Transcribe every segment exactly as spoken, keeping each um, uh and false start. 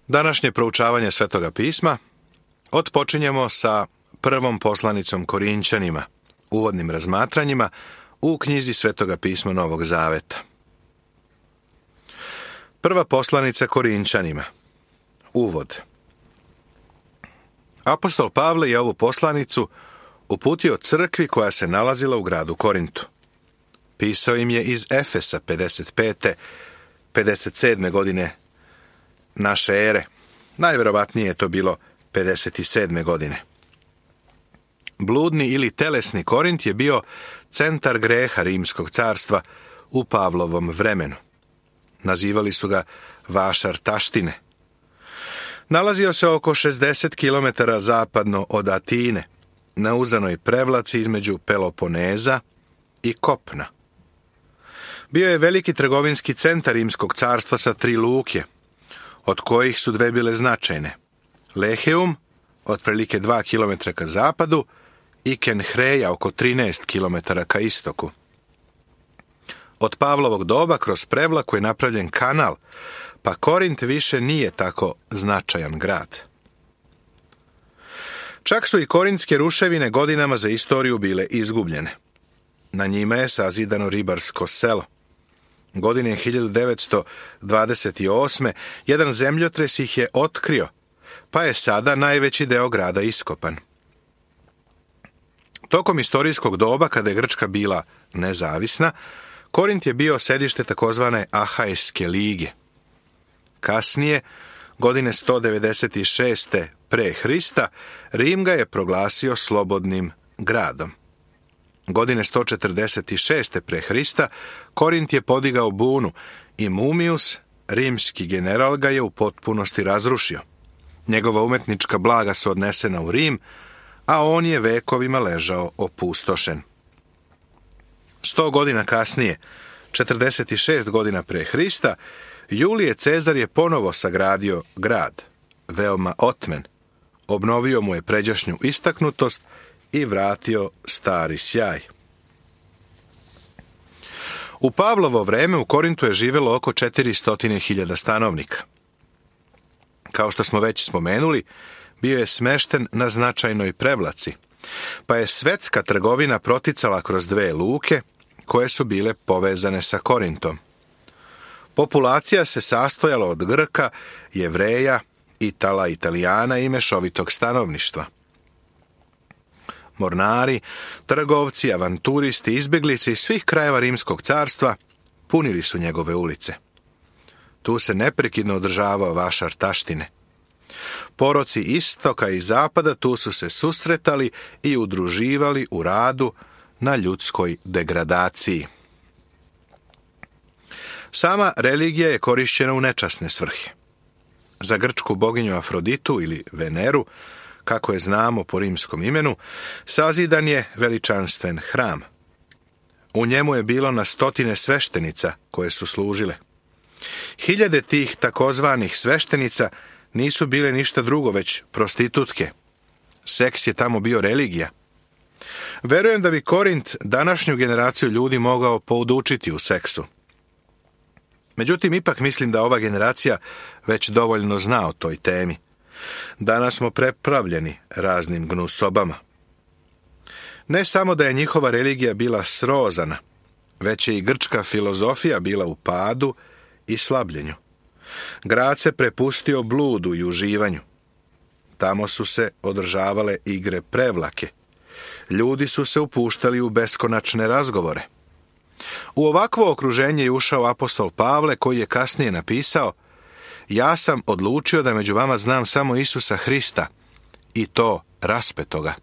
Današnje proučavanje Svetoga pisma otpočinjemo sa prvom poslanicom Korinćanima, uvodnim razmatranjima u knjizi Svetoga pisma Novog Zaveta. Prva poslanica Korinćanima. Uvod. Apostol Pavle je ovu poslanicu uputio crkvi koja se nalazila u gradu Korintu. Pisao im je iz Efesa pedeset pete pedeset sedme godine naše ere. Najverovatnije je to bilo pedeset sedme godine. Bludni ili telesni Korint je bio centar greha Rimskog carstva u Pavlovom vremenu. Nazivali su ga vašar taštine. Nalazio se oko šezdeset kilometara zapadno od Atine, na uzanoj prevlaci između Peloponeza i Kopna. Bio je veliki trgovinski centar Rimskog carstva sa tri luke, od kojih su dve bile značajne. Leheum, otprilike dva kilometra ka zapadu, i Kenhreja, oko trinaest kilometara ka istoku. Od Pavlovog doba kroz prevlaku je napravljen kanal, pa Korint više nije tako značajan grad. Čak su i korintske ruševine godinama za istoriju bile izgubljene. Na njima je sazidano ribarsko selo. Godine hiljadu devetsto dvadeset osme. jedan zemljotres ih je otkrio, pa je sada najveći deo grada iskopan. Tokom istorijskog doba, kada je Grčka bila nezavisna, Korint je bio sedište takozvane Ahajske lige. Kasnije, godine sto devedeset šeste pre Hrista, Rim ga je proglasio slobodnim gradom. Godine sto četrdeset šeste pre Hrista, Korint je podigao bunu i Mumius, rimski general, ga je u potpunosti razrušio. Njegova umetnička blaga su odnesena u Rim, a on je vekovima ležao opustošen. Sto godina kasnije, četrdeset šest godina pre Hrista, Julije Cezar je ponovo sagradio grad, veoma otmen, obnovio mu je pređašnju istaknutost i vratio stari sjaj. U Pavlovo vreme u Korintu je živelo oko četiristo hiljada stanovnika. Kao što smo već spomenuli, bio je smešten na značajnoj prevlaci, pa je svetska trgovina proticala kroz dve luke koje su bile povezane sa Korintom. Populacija se sastojala od Grka, Jevreja, Itala, Italijana i mešovitog stanovništva. Mornari, trgovci, avanturisti, izbjeglice iz svih krajeva Rimskog carstva punili su njegove ulice. Tu se neprekidno održavao vašar taštine. Poroci istoka i zapada tu su se susretali i udruživali u radu na ljudskoj degradaciji. Sama religija je korišćena u nečasne svrhe. Za grčku boginju Afroditu ili Veneru, kako je znamo po rimskom imenu, sazidan je veličanstven hram. U njemu je bilo na stotine sveštenica koje su služile. Hiljade tih takozvanih sveštenica nisu bile ništa drugo već prostitutke. Seks je tamo bio religija. Verujem da bi Korint današnju generaciju ljudi mogao poučiti u seksu. Međutim, ipak mislim da ova generacija već dovoljno zna o toj temi. Danas smo prepravljeni raznim gnusobama. Ne samo da je njihova religija bila srozana, već je i grčka filozofija bila u padu i slabljenju. Grad se prepustio bludu i uživanju. Tamo su se održavale igre prevlake. Ljudi su se upuštali u beskonačne razgovore. U ovakvo okruženje je ušao apostol Pavle, koji je kasnije napisao: ja sam odlučio da među vama znam samo Isusa Hrista, i to raspetoga.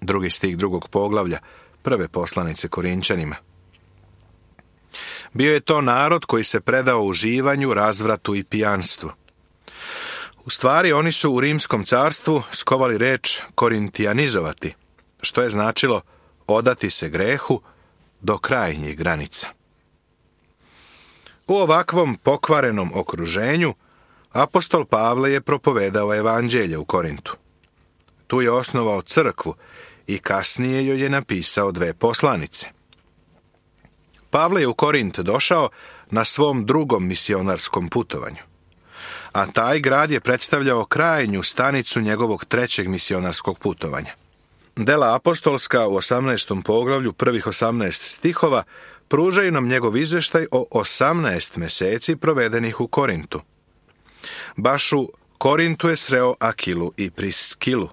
Drugi stih drugog poglavlja prve poslanice Korinćanima. Bio je to narod koji se predao uživanju, razvratu i pijanstvu. U stvari, oni su u Rimskom carstvu skovali reč korintijanizovati, što je značilo odati se grehu do krajnjih granica. U ovakvom pokvarenom okruženju apostol Pavle je propovedao evanđelje u Korintu. Tu je osnovao crkvu i kasnije joj je napisao dve poslanice. Pavle je u Korint došao na svom drugom misionarskom putovanju. a taj grad je predstavljao krajnju stanicu njegovog trećeg misionarskog putovanja. Dela apostolska u osamnaestom poglavlju, prvih osamnaest stihova, pružaju nam njegov izveštaj o osamnaest meseci provedenih u Korintu. Baš u Korintu je sreo Akilu i Priskilu.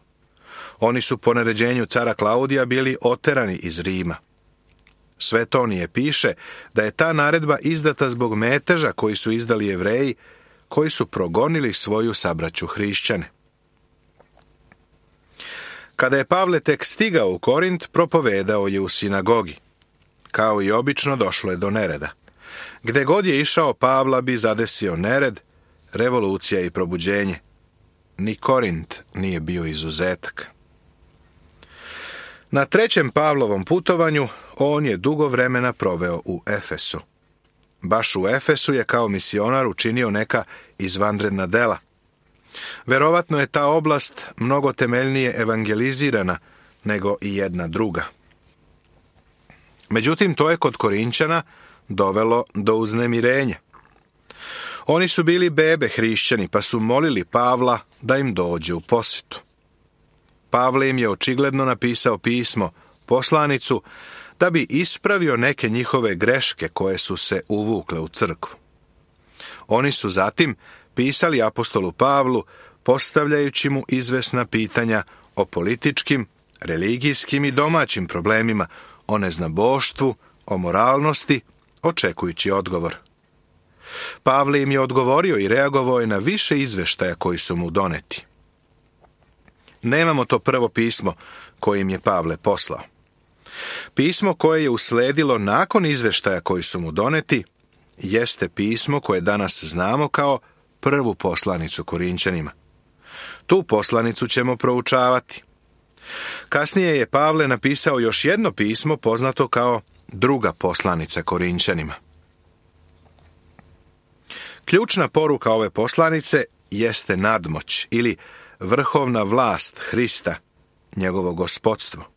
Oni su po naređenju cara Klaudija bili oterani iz Rima. Svetonije piše da je ta naredba izdata zbog meteža koji su izdali Jevreji, koji su progonili svoju sabraću hrišćane. Kada je Pavle tek stigao u Korint, propovedao je u sinagogi. Kao i obično, došlo je do nereda. Gde god je išao, Pavla bi zadesio nered, revolucija i probuđenje. Ni Korint nije bio izuzetak. Na trećem Pavlovom putovanju on je dugo vremena proveo u Efesu. Baš u Efesu je kao misionar učinio neka izvanredna dela. Verovatno je ta oblast mnogo temeljnije evangelizirana nego i jedna druga. Međutim, to je kod Korinćana dovelo do uznemirenja. Oni su bili bebe hrišćani, pa su molili Pavla da im dođe u posjetu. Pavle im je očigledno napisao pismo, poslanicu, da bi ispravio neke njihove greške koje su se uvukle u crkvu. Oni su zatim pisali apostolu Pavlu, postavljajući mu izvesna pitanja o političkim, religijskim i domaćim problemima, o neznaboštvu, o moralnosti, očekujući odgovor. Pavle im je odgovorio i reagovao je na više izveštaja koji su mu doneti. Nemamo to prvo pismo koje im je Pavle poslao. Pismo koje je usledilo nakon izveštaja koji su mu doneti jeste pismo koje danas znamo kao prvu poslanicu Korinćanima. Tu poslanicu ćemo proučavati. Kasnije je Pavle napisao još jedno pismo poznato kao druga poslanica Korinćanima. Ključna poruka ove poslanice jeste nadmoć ili vrhovna vlast Hrista, njegovo gospodstvo.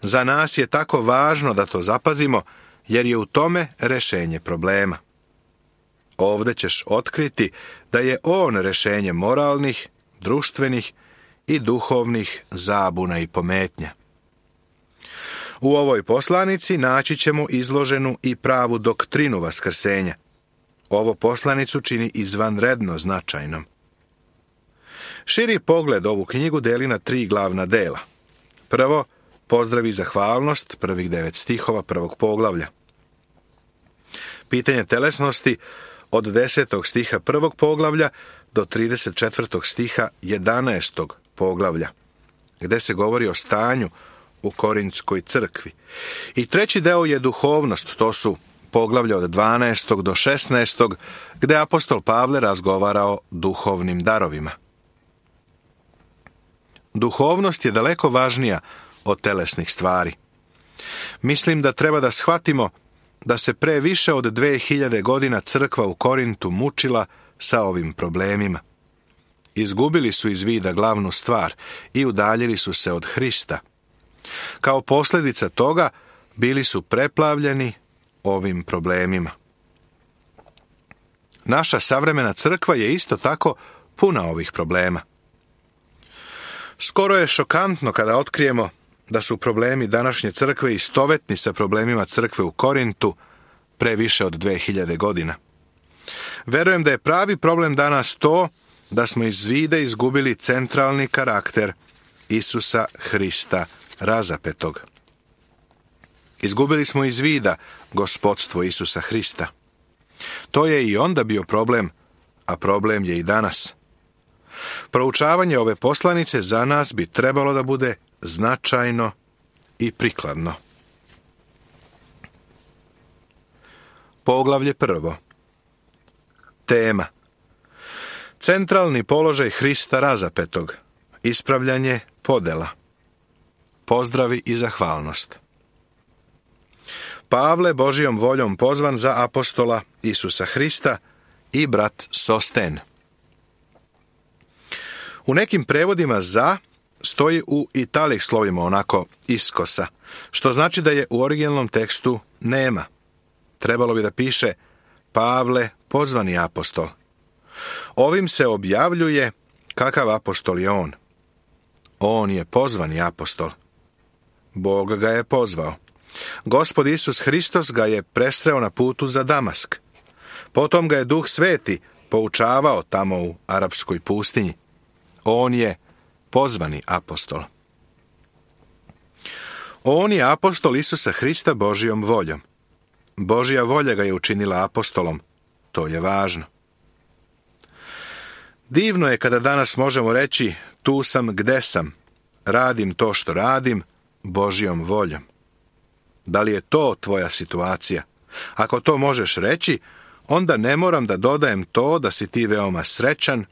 Za nas je tako važno da to zapazimo, jer je u tome rešenje problema. Ovde ćeš otkriti da je on rešenje moralnih, društvenih i duhovnih zabuna i pometnja. U ovoj poslanici naći ćemo izloženu i pravu doktrinu vaskrsenja. Ovo poslanicu čini izvanredno značajnom. Širi pogled ovu knjigu deli na tri glavna dela. Prvo, pozdrav i zahvalnost, prvih devet stihova prvog poglavlja. Pitanje telesnosti od desetog stiha prvog poglavlja do trideset četvrtog stiha jedanaestog poglavlja, gde se govori o stanju u Korintskoj crkvi. I treći deo je duhovnost, to su poglavlja od dvanaestog do šesnaestog, gde apostol Pavle razgovara o duhovnim darovima. Duhovnost je daleko važnija od telesnih stvari. Mislim da treba da shvatimo da se pre više od dve hiljade godina crkva u Korintu mučila sa ovim problemima. Izgubili su iz vida glavnu stvar i udaljili su se od Hrista. Kao posljedica toga bili su preplavljeni ovim problemima. Naša savremena crkva je isto tako puna ovih problema. Skoro je šokantno kada otkrijemo da su problemi današnje crkve istovetni sa problemima crkve u Korintu pre više od dve hiljade godina. Verujem da je pravi problem danas to da smo iz vida izgubili centralni karakter Isusa Hrista razapetog. Izgubili smo iz vida gospodstvo Isusa Hrista. To je i onda bio problem, a problem je i danas. Proučavanje ove poslanice za nas bi trebalo da bude značajno i prikladno. Poglavlje prvo. Tema. Centralni položaj Hrista razapetog. Ispravljanje podela. Pozdravi i zahvalnost. Pavle, Božijom voljom pozvan za apostola Isusa Hrista i brat Sosten. U nekim prevodima za stoji u italih slovima onako iskosa, što znači da je u originalnom tekstu nema. Trebalo bi da piše Pavle, pozvani apostol. Ovim se objavljuje kakav apostol je on. On je pozvani apostol. Bog ga je pozvao. Gospod Isus Hristos ga je presreo na putu za Damask. Potom ga je Duh Sveti poučavao tamo u arapskoj pustinji. On je pozvani apostol. On je apostol Isusa Hrista Božjom voljom. Božja volja ga je učinila apostolom. To je važno. Divno je kada danas možemo reći tu sam gde sam, radim to što radim Božjom voljom. Da li je to tvoja situacija? Ako to možeš reći, onda ne moram da dodajem to da si ti veoma srećan,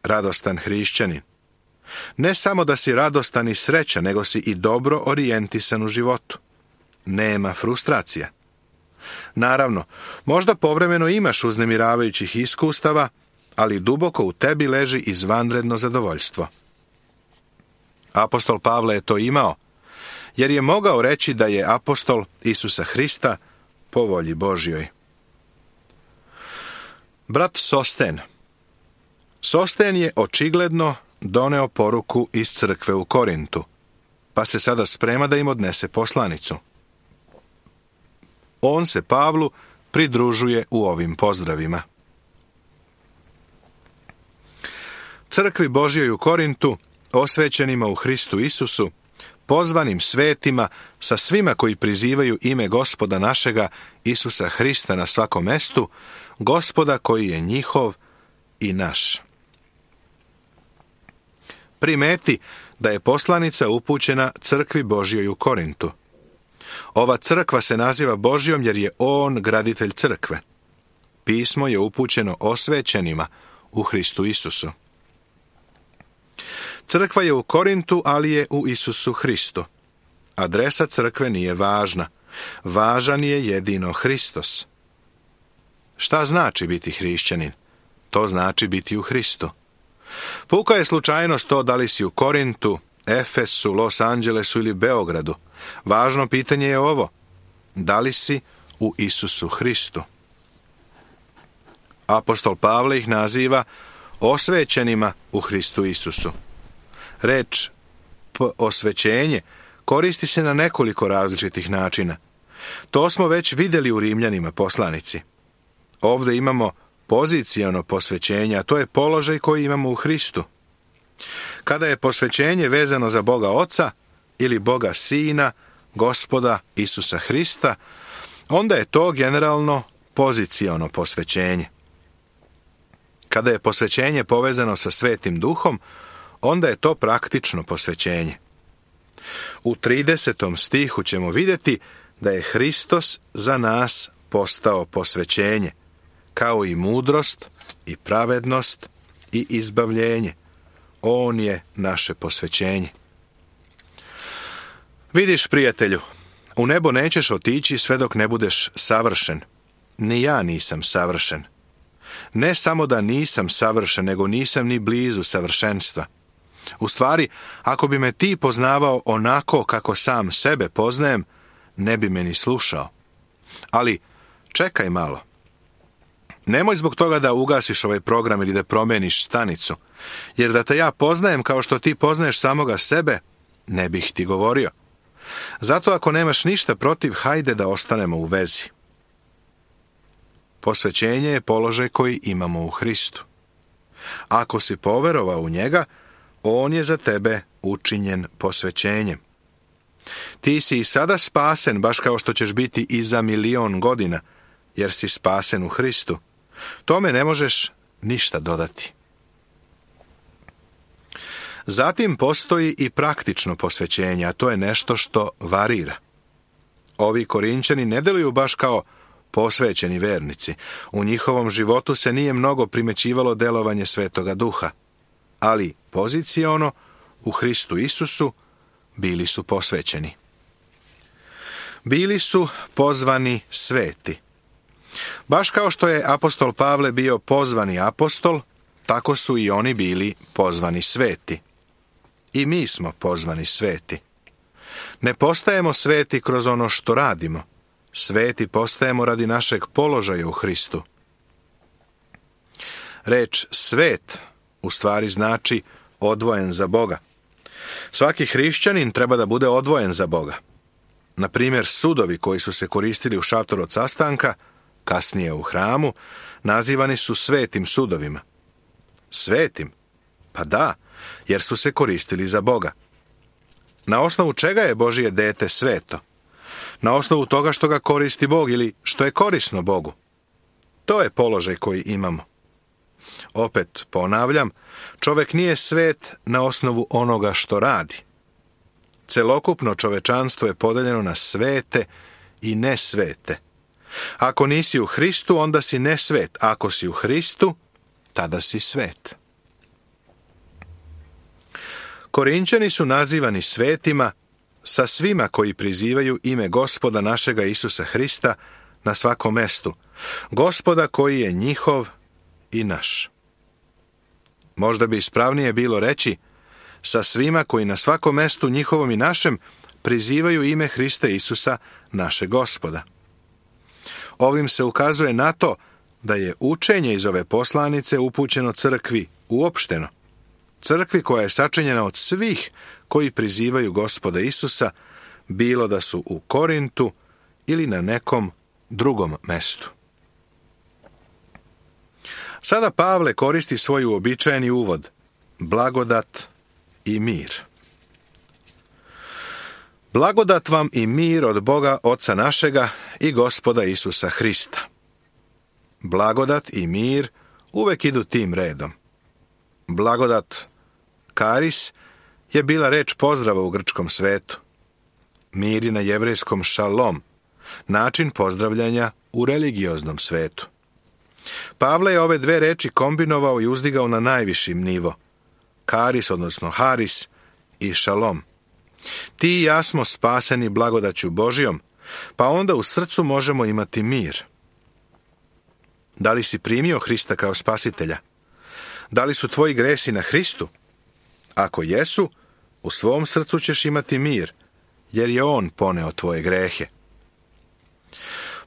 radostan hrišćanin. Ne samo da si radostan i srećan, nego si i dobro orijentisan u životu. Nema frustracija. Naravno, možda povremeno imaš uznemiravajućih iskustava, ali duboko u tebi leži izvanredno zadovoljstvo. Apostol Pavle je to imao, jer je mogao reći da je apostol Isusa Hrista po volji Božjoj. Brat Sosten. Sosten je očigledno doneo poruku iz crkve u Korintu, pa se sada sprema da im odnese poslanicu. On se Pavlu pridružuje u ovim pozdravima. Crkvi Božjoj u Korintu, osvećenima u Hristu Isusu, pozvanim svetima, sa svima koji prizivaju ime Gospoda našega Isusa Hrista na svakom mestu, Gospoda koji je njihov i naš. Primeti da je poslanica upućena crkvi Božjoj u Korintu. Ova crkva se naziva Božjom jer je on graditelj crkve. Pismo je upućeno osvećenima u Hristu Isusu. Crkva je u Korintu, ali je u Isusu Hristu. Adresa crkve nije važna. Važan je jedino Hristos. Šta znači biti hrišćanin? To znači biti u Hristu. Puka je slučajnost to da li si u Korintu, Efesu, Los Angelesu ili Beogradu. Važno pitanje je ovo. Da li si u Isusu Hristu? Apostol Pavle ih naziva osvećenima u Hristu Isusu. Reč p osvećenje koristi se na nekoliko različitih načina. To smo već vidjeli u Rimljanima poslanici. Ovdje imamo poziciono posvećenje, a to je položaj koji imamo u Hristu. Kada je posvećenje vezano za Boga Oca ili Boga Sina, Gospoda Isusa Hrista, onda je to generalno poziciono posvećenje. Kada je posvećenje povezano sa Svetim Duhom, onda je to praktično posvećenje. U tridesetom stihu ćemo vidjeti da je Hristos za nas postao posvećenje, kao i mudrost, i pravednost, i izbavljenje. On je naše posvećenje. Vidiš, prijatelju, u nebo nećeš otići sve dok ne budeš savršen. Ni ja nisam savršen. Ne samo da nisam savršen, nego nisam ni blizu savršenstva. U stvari, ako bi me ti poznavao onako kako sam sebe poznajem, ne bi me ni slušao. Ali, čekaj malo. Nemoj zbog toga da ugasiš ovaj program ili da promeniš stanicu, jer da te ja poznajem kao što ti poznaješ samoga sebe, ne bih ti govorio. Zato ako nemaš ništa protiv, hajde da ostanemo u vezi. Posvećenje je položaj koji imamo u Hristu. Ako si poverovao u njega, on je za tebe učinjen posvećenjem. Ti si i sada spasen, baš kao što ćeš biti i za milion godina, jer si spasen u Hristu. Tome ne možeš ništa dodati. Zatim postoji i praktično posvećenje, a to je nešto što varira. Ovi Korinćani ne deluju baš kao posvećeni vernici. U njihovom životu se nije mnogo primećivalo delovanje Svetoga Duha, ali poziciono u Hristu Isusu bili su posvećeni. Bili su pozvani sveti. Baš kao što je apostol Pavle bio pozvani apostol, tako su i oni bili pozvani sveti. I mi smo pozvani sveti. Ne postajemo sveti kroz ono što radimo. Sveti postajemo radi našeg položaja u Hristu. Reč svet u stvari znači odvojen za Boga. Svaki hrišćanin treba da bude odvojen za Boga. Na primjer, sudovi koji su se koristili u šatoru od sastanka, kasnije u hramu, nazivani su svetim sudovima. Svetim? Pa da, jer su se koristili za Boga. Na osnovu čega je Božije dete sveto? Na osnovu toga što ga koristi Bog ili što je korisno Bogu. To je položaj koji imamo. Opet ponavljam, čovjek nije svet na osnovu onoga što radi. Celokupno čovečanstvo je podeljeno na svete i nesvete. Ako nisi u Hristu, onda si nesvet. Ako si u Hristu, tada si svet. Korinćani su nazivani svetima sa svima koji prizivaju ime Gospoda našega Isusa Hrista na svakom mestu. Gospoda koji je njihov i naš. Možda bi ispravnije bilo reći sa svima koji na svakom mestu njihovom i našem prizivaju ime Hrista Isusa, naše Gospoda. Ovim se ukazuje na to da je učenje iz ove poslanice upućeno crkvi uopšteno. Crkvi koja je sačinjena od svih koji prizivaju Gospoda Isusa, bilo da su u Korintu ili na nekom drugom mestu. Sada Pavle koristi svoj uobičajeni uvod, blagodat i mir. Blagodat vam i mir od Boga Oca našega i Gospoda Isusa Hrista. Blagodat i mir uvek idu tim redom. Blagodat, karis, je bila reč pozdrava u grčkom svetu. Mir je na jevrejskom šalom, način pozdravljanja u religioznom svetu. Pavle je ove dve reči kombinovao i uzdigao na najvišim nivo. Karis, odnosno haris, i šalom. Ti i ja smo spaseni blagodaću Božijom, pa onda u srcu možemo imati mir. Da li si primio Hrista kao spasitelja? Da li su tvoji gresi na Hristu? Ako jesu, u svom srcu ćeš imati mir, jer je On poneo tvoje grehe.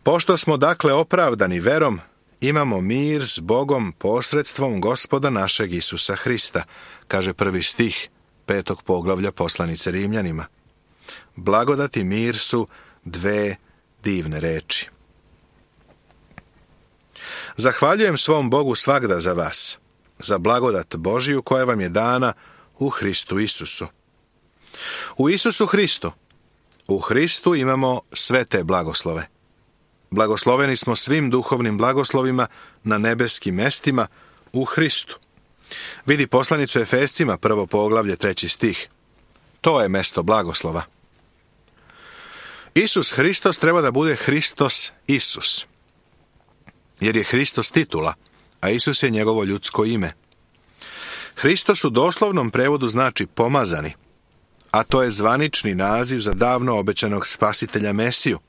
Pošto smo dakle opravdani verom, imamo mir s Bogom posredstvom Gospoda našeg Isusa Hrista, kaže prvi stih petog poglavlja poslanice Rimljanima. Blagodat i mir su dve divne reči. Zahvaljujem svom Bogu svagda za vas, za blagodat Božiju koja vam je dana u Hristu Isusu. U Isusu Hristu, u Hristu imamo sve te blagoslove. Blagosloveni smo svim duhovnim blagoslovima na nebeskim mestima u Hristu. Vidi poslanicu Efescima, prvo poglavlje, treći stih. To je mesto blagoslova. Isus Hristos treba da bude Hristos Isus, jer je Hristos titula, a Isus je njegovo ljudsko ime. Hristos u doslovnom prevodu znači pomazani, a to je zvanični naziv za davno obećanog spasitelja Mesiju.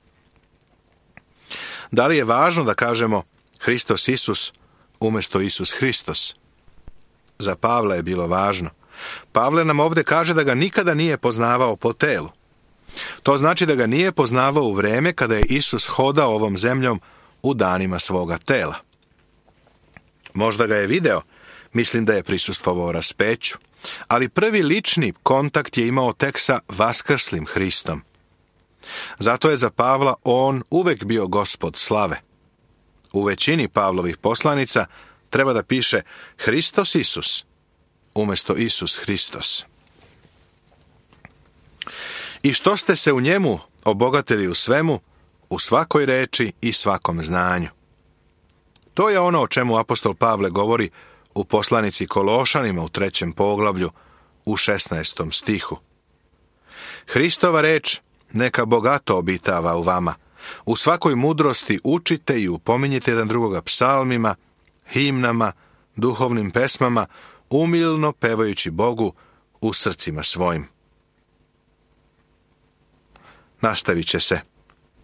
Da li je važno da kažemo Hristos Isus umjesto Isus Hristos? Za Pavla je bilo važno. Pavle nam ovdje kaže da ga nikada nije poznavao po telu. To znači da ga nije poznavao u vreme kada je Isus hodao ovom zemljom u danima svoga tela. Možda ga je video, mislim da je prisustvovao raspeću, ali prvi lični kontakt je imao tek sa vaskrslim Hristom. Zato je za Pavla on uvek bio Gospod slave. U većini Pavlovih poslanica treba da piše Hristos Isus umjesto Isus Hristos. I što ste se u njemu obogatili u svemu, u svakoj reči i svakom znanju. To je ono o čemu apostol Pavle govori u poslanici Kološanima u trećem poglavlju u šesnaestom stihu. Hristova reč neka bogato obitava u vama. U svakoj mudrosti učite i upominjite jedan drugoga psalmima, himnama, duhovnim pesmama, umilno pevajući Bogu u srcima svojim. Nastavit će se.